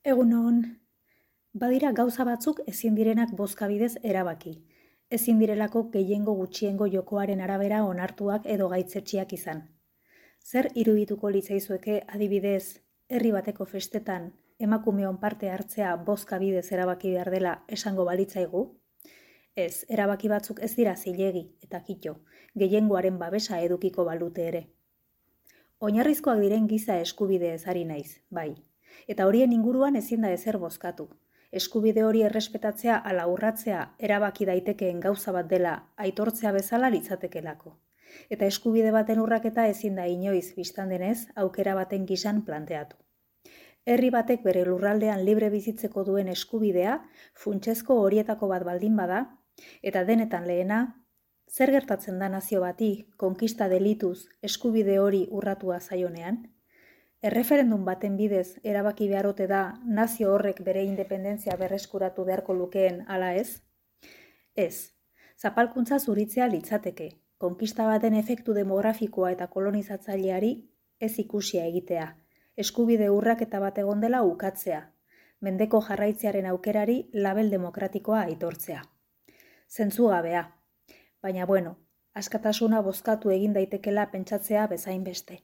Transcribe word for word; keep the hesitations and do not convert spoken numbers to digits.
Egunon, badira gauza batzuk ezin direnak bozka bidez erabaki. Ezin direlako gehiengo gutxiengo jokoaren arabera onartuak edo gaitzetsiak izan. Zer irudituko litzaizueke adibidez, herri bateko festetan emakumeon parte hartzea bozka bidez erabaki behar dela esango balitzaigu? Ez, erabaki batzuk ez dira zilegi eta kito, gehiengoaren babesa edukiko balute ere. Oinarrizkoak diren giza eskubideez ari naiz, bai. Eta horien inguruan ezin da ezer bozkatu. Eskubide hori errespetatzea ala urratzea erabaki daitekeen gauza bat dela aitortzea bezala litzatekelako. Eta eskubide baten urraketa ezin da inoiz bistan denez aukera baten gisan planteatu. Herri batek bere lurraldean libre bizitzeko duen eskubidea funtsezko horietako bat baldin bada, eta denetan lehena, zer gertatzen da nazio bati konkista delituz eskubide hori urratua zaionean? Erreferendum baten bidez erabaki beharote da nazio horrek bere independentzia berreskuratu beharko lukeen ala ez? Ez, zapalkuntza zuritzea litzateke, konkista baten efektu demografikoa eta kolonizatzaileari ez ikusia egitea, eskubide urraketa bat egon dela ukatzea, mendeko jarraitzearen aukerari label demokratikoa aitortzea. Zentzugabea, baina bueno, askatasuna bozkatu egin daitekela pentsatzea bezain beste.